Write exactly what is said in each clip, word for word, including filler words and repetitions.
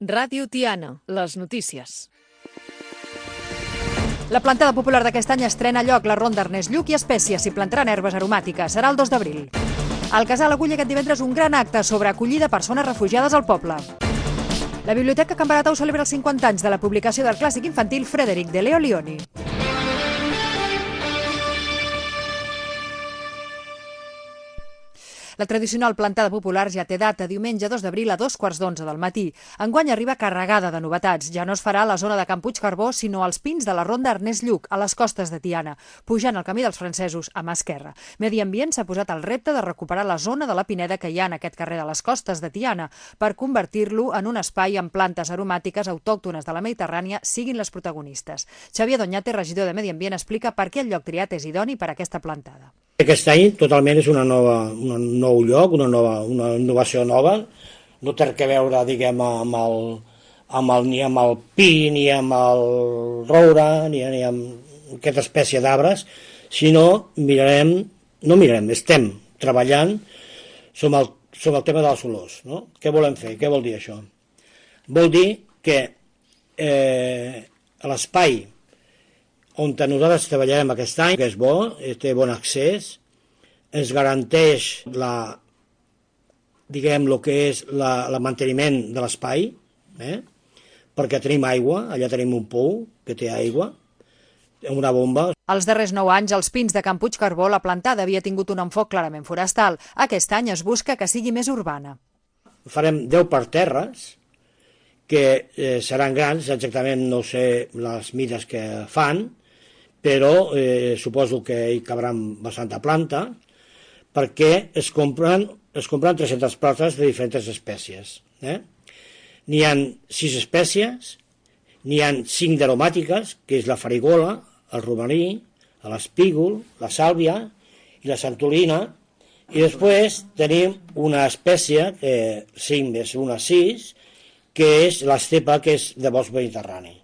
Ràdio Tiana, les notícies. La plantada popular d'aquest any estrena a lloc la ronda Ernest Lluch i Espècies i plantaran herbes aromàtiques. Serà el dos d'abril. El Casal acull aquest divendres un gran acte sobre acollida a persones refugiades al poble. La Biblioteca Can Baratau celebra els cinquanta anys de la publicació del clàssic infantil Frederic de Leo Lionni. La tradicional plantada popular ja té data, diumenge dos d'abril a dos quarts d'onze del matí. Enguany arriba carregada de novetats. Ja no es farà a la zona de Can Puigcarbó, sinó als pins de la ronda Ernest Lluch, a les costes de Tiana, pujant el camí dels francesos a mà esquerra. Medi Ambient s'ha posat el repte de recuperar la zona de la pineda que hi ha en aquest carrer de les costes de Tiana per convertir-lo en un espai amb plantes aromàtiques autòctones de la Mediterrània siguin les protagonistes. Xavier Doñate, regidor de Medi Ambient, explica per què el lloc triat és idoni per a aquesta plantada. Aquest any totalment és una nova, un nou lloc, una, nova, una innovació nova. No té que veure, diguem, amb el, amb el, ni amb el pi, ni amb el roure, ni, ni amb aquesta espècie d'arbres, sinó mirarem, no mirarem, estem treballant sobre el, sobre el tema de les olors. No? Què volem fer? Què vol dir això? Vol dir que eh, l'espai on nosaltres treballarem aquest any, que és bo, té bon accés, ens garanteix la, diguem, el que és la, la manteniment de l'espai, eh? perquè tenim aigua, allà tenim un pou que té aigua, una bomba. Els darrers nou anys, als pins de Can Puigcarbó, la plantada havia tingut un enfoc clarament forestal. Aquest any es busca que sigui més urbana. Farem deu parterres, que eh, seran grans, exactament no sé les mides que fan, però eh, suposo que hi cabran bastanta planta, perquè es compren, es compren tres-centes plantes de diferents espècies. Eh? N'hi ha sis espècies, n'hi ha cinc d'aromàtiques, que és la farigola, el romaní, l'espígol, la sàlvia i la santolina, i després tenim una espècie, eh, cinc més una, sis, que és l'estepa, que és de bosc mediterrani.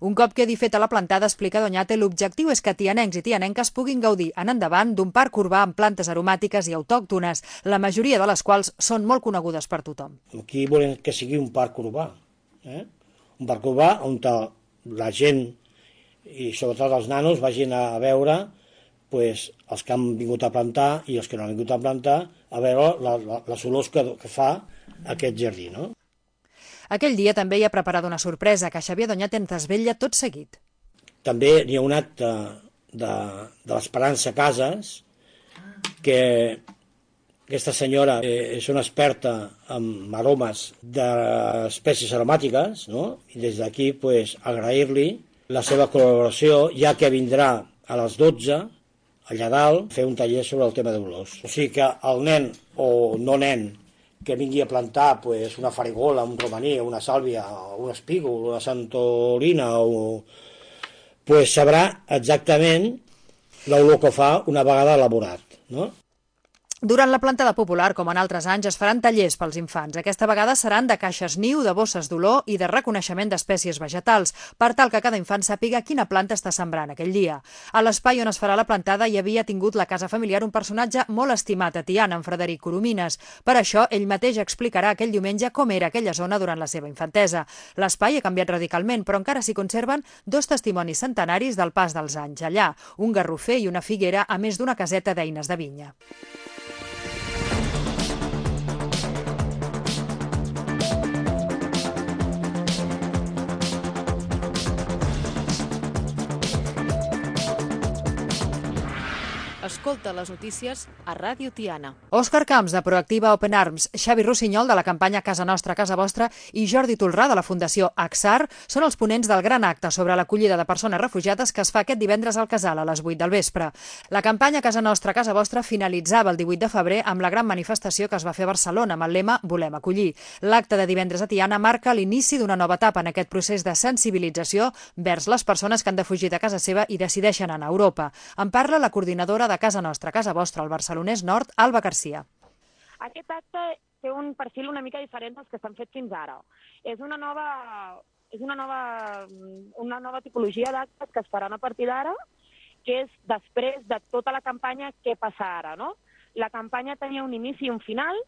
Un cop quedi feta la plantada, explica Doñate, l'objectiu és que tianencs i tianenques puguin gaudir en endavant d'un parc urbà amb plantes aromàtiques i autòctones, la majoria de les quals són molt conegudes per tothom. Aquí volem que sigui un parc urbà, eh? un parc urbà on la gent, i sobretot els nanos, vagin a veure pues, els que han vingut a plantar i els que no han vingut a plantar, a veure la, la, les olors que, que fa aquest jardí, no? Aquell dia també hi ha preparat una sorpresa que Xavier Doñate ens desvetlla tot seguit. També hi ha un acte de, de l'Esperança Cases, que aquesta senyora és una experta en aromes d'espècies aromàtiques, no? I des d'aquí pues, agrair-li la seva col·laboració, ja que vindrà a les dotze, allà dalt, fer un taller sobre el tema d'olors. O sigui que el nen o no nen que vingui a plantar pues, una farigola, un romaní, una sàlvia, un espígol, una santolina, o... pues sabrà exactament l'olor que fa una vegada elaborat, no? Durant la plantada popular, com en altres anys, es faran tallers pels infants. Aquesta vegada seran de caixes niu, de bosses d'olor i de reconeixement d'espècies vegetals, per tal que cada infant sàpiga quina planta està sembrant aquell dia. A l'espai on es farà la plantada hi havia tingut la casa familiar un personatge molt estimat a Tiana, en Frederic Coromines. Per això, ell mateix explicarà aquell diumenge com era aquella zona durant la seva infantesa. L'espai ha canviat radicalment, però encara s'hi conserven dos testimonis centenaris del pas dels anys. Allà, un garrofer i una figuera, a més d'una caseta d'eines de vinya. Escolta les notícies a Ràdio Tiana. Òscar Camps, de Proactiva Open Arms, Xavi Rossinyol, de la campanya Casa Nostra, Casa Vostra, i Jordi Tolrà, de la Fundació Axar, són els ponents del gran acte sobre l'acollida de persones refugiades que es fa aquest divendres al Casal a les vuit del vespre. La campanya Casa Nostra, Casa Vostra finalitzava el divuit de febrer amb la gran manifestació que es va fer a Barcelona amb el lema Volem acollir. L'acte de divendres a Tiana marca l'inici d'una nova etapa en aquest procés de sensibilització vers les persones que han de fugir de casa seva i decideixen anar a Europa. En parla la coordinadora de Casa Nostra, Casa Vostra, al Barcelonès Nord, Alba Garcia. Aquest acte té un perfil una mica diferent dels que s'han fet fins ara. És una nova, és una nova, una nova tipologia d'actes que es faran a partir d'ara, que és després de tota la campanya Què passa ara, no? La campanya tenia un inici i un final.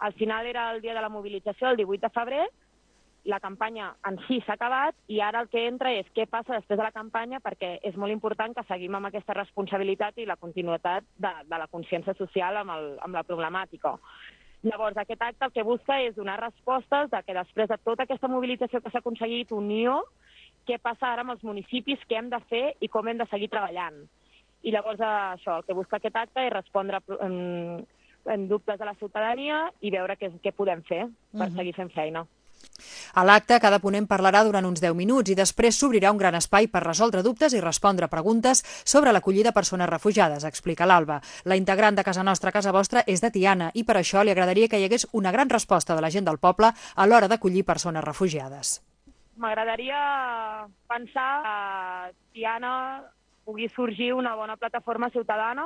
El final era el dia de la mobilització, el divuit de febrer, la campanya en si s'ha acabat i ara el que entra és què passa després de la campanya, perquè és molt important que seguim amb aquesta responsabilitat i la continuïtat de, de la consciència social amb, el, amb la problemàtica. Llavors, aquest acte el que busca és donar respostes de que després de tota aquesta mobilització que s'ha aconseguit, unió, què passa ara amb els municipis, què hem de fer i com hem de seguir treballant. I llavors això, el que busca aquest acte és respondre en, en dubtes de la ciutadania i veure què, què podem fer per uh-huh. seguir fent feina. A l'acte, cada ponent parlarà durant uns deu minuts i després s'obrirà un gran espai per resoldre dubtes i respondre preguntes sobre l'acollida a persones refugiades, explica l'Alba. La integrant de Casa Nostra, Casa Vostra és de Tiana i per això li agradaria que hi hagués una gran resposta de la gent del poble a l'hora d'acollir persones refugiades. M'agradaria pensar que a Tiana pugui sorgir una bona plataforma ciutadana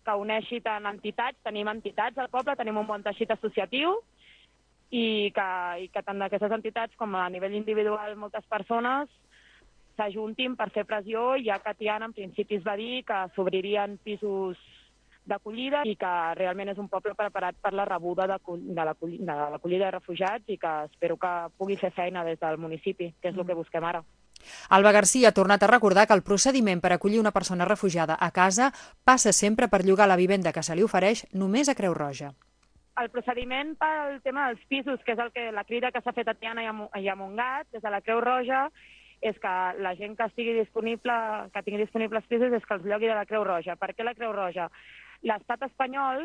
que uneixi tant entitats, tenim entitats al poble, tenim un bon teixit associatiu, i que, i que tant d'aquestes entitats com a nivell individual moltes persones s'ajuntin per fer pressió, ja que Tiana en principi es va dir que s'obririen pisos d'acollida i que realment és un poble preparat per la rebuda de, de l'acollida de refugiats i que espero que pugui fer feina des del municipi, que és el que busquem ara. Alba Garcia ha tornat a recordar que el procediment per acollir una persona refugiada a casa passa sempre per llogar la vivenda que se li ofereix només a Creu Roja. El procediment pel tema dels pisos, que és el que la crida que s'ha fet a Tiana i a Montgat, des de la Creu Roja, és que la gent que estigui disponible, que tingui disponibles pisos és que els llogui de la Creu Roja. Per què la Creu Roja? L'estat espanyol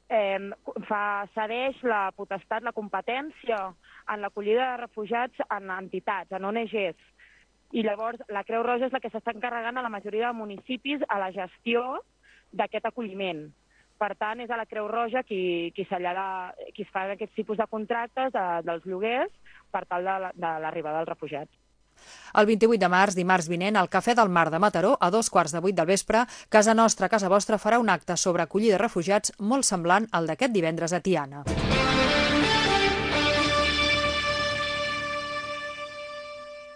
eh, fa, cedeix la potestat, la competència en l'acollida de refugiats en entitats, en O N Ges. I llavors la Creu Roja és la que s'està encarregant a la majoria de municipis a la gestió d'aquest acolliment. Per tant, és a la Creu Roja qui, qui, qui es fa aquests tipus de contractes de, dels lloguers per tal de, de l'arribada dels refugiats. El vint-i-vuit de març, dimarts vinent, al Cafè del Mar de Mataró, a dos quarts de vuit del vespre, Casa Nostra, Casa Vostra farà un acte sobre acollida de refugiats molt semblant al d'aquest divendres a Tiana.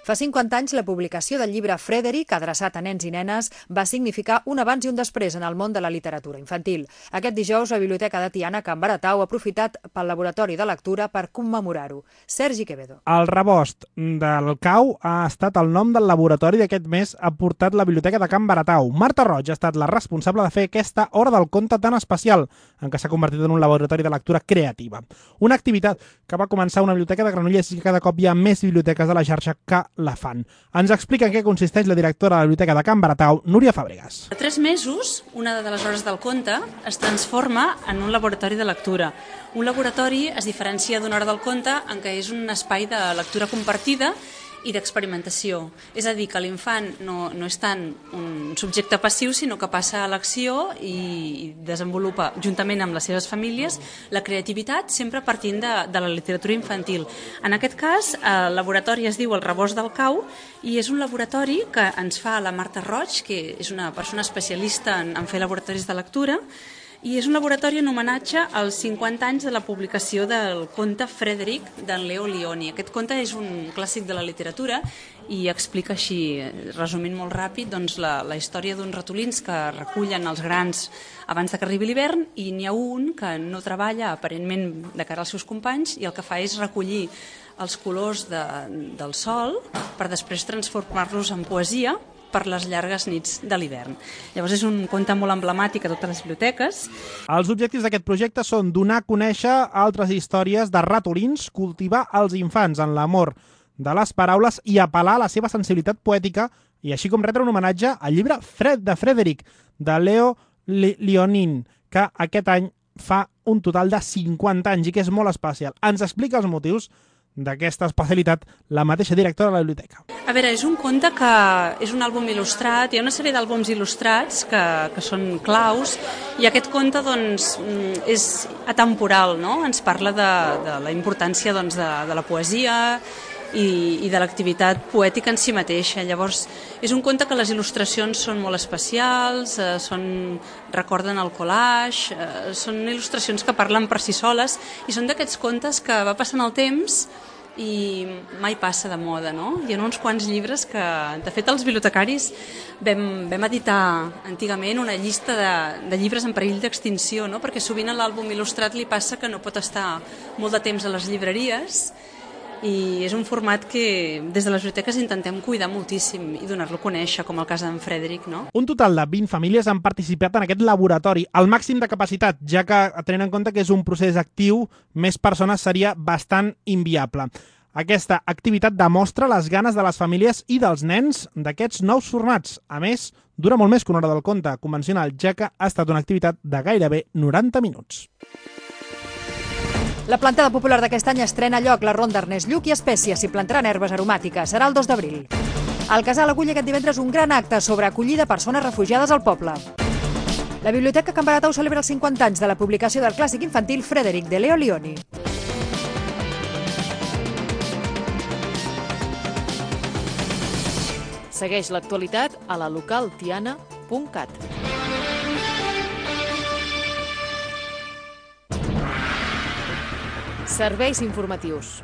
Fa cinquanta anys, la publicació del llibre Frederic, adreçat a nens i nenes, va significar un abans i un després en el món de la literatura infantil. Aquest dijous, la Biblioteca de Tiana, Can Baratau, ha aprofitat pel laboratori de lectura per commemorar-ho. Sergi Quevedo. El rebost del cau ha estat el nom del laboratori d'aquest mes ha portat la Biblioteca de Can Baratau. Marta Roig ha estat la responsable de fer aquesta hora del conte tan especial, en què s'ha convertit en un laboratori de lectura creativa. Una activitat que va començar a una biblioteca de Granollers i que cada cop hi ha més biblioteques de la xarxa que la fan. Ens explica en què consisteix la directora de la Biblioteca de Can Baratau, Núria Fàbregas. A tres mesos, una de les hores del conte es transforma en un laboratori de lectura. Un laboratori es diferencia d'una hora del conte en què és un espai de lectura compartida i d'experimentació. És a dir, que l'infant no, no és tant un subjecte passiu, sinó que passa a l'acció i desenvolupa, juntament amb les seves famílies, la creativitat, sempre partint de, de la literatura infantil. En aquest cas, el laboratori es diu El Rebost del Cau i és un laboratori que ens fa la Marta Roig, que és una persona especialista en, en fer laboratoris de lectura, i és un laboratori en homenatge als cinquanta anys de la publicació del conte Frederic d'en Leo Lionni. Aquest conte és un clàssic de la literatura i explica així, resumint molt ràpid, doncs la, la història d'uns ratolins que recullen els grans abans que arribi l'hivern i n'hi ha un que no treballa aparentment de cara als seus companys i el que fa és recollir els colors de, del sol per després transformar-los en poesia per les llargues nits de l'hivern. Llavors és un conte molt emblemàtic a totes les biblioteques. Els objectius d'aquest projecte són donar a conèixer altres històries de ratolins, cultivar els infants en l'amor de les paraules i apel·lar a la seva sensibilitat poètica i així com retre un homenatge al llibre Fred de Frederic de Leo Lionni, que aquest any fa un total de cinquanta anys i que és molt especial. Ens explica els motius d'aquesta especialitat la mateixa directora de la biblioteca. A veure, és un conte que és un àlbum il·lustrat, hi ha una sèrie d'àlbums il·lustrats que, que són claus i aquest conte doncs, és atemporal, no? Ens parla de, de la importància doncs, de, de la poesia i, i de l'activitat poètica en si mateixa. Llavors, és un conte que les il·lustracions són molt especials, eh, són, recorden el collage, eh, són il·lustracions que parlen per si soles i són d'aquests contes que va passant el temps i mai passa de moda, no? Hi ha uns quants llibres que, de fet, els bibliotecaris vam, vam editar antigament una llista de, de llibres en perill d'extinció, no? Perquè sovint a l'àlbum il·lustrat li passa que no pot estar molt de temps a les llibreries i és un format que des de les biblioteques intentem cuidar moltíssim i donar-lo a conèixer, com el cas d'en Frederic, no? Un total de vint famílies han participat en aquest laboratori, al màxim de capacitat, ja que, tenint en compte que és un procés actiu, més persones seria bastant inviable. Aquesta activitat demostra les ganes de les famílies i dels nens d'aquests nous formats. A més, dura molt més que una hora del conte convencional, ja que ha estat una activitat de gairebé noranta minuts. La plantada popular d'aquest any estrena a lloc la ronda Ernest Lluch i Espècies i plantaran herbes aromàtiques. Serà el dos d'abril. El Casal acull aquest divendres un gran acte sobre acollida persones refugiades al poble. La Biblioteca Can Baratau celebra els cinquanta anys de la publicació del clàssic infantil Frederic, de Leo Lionni. Segueix l'actualitat a la local tiana punt cat. Serveis informatius.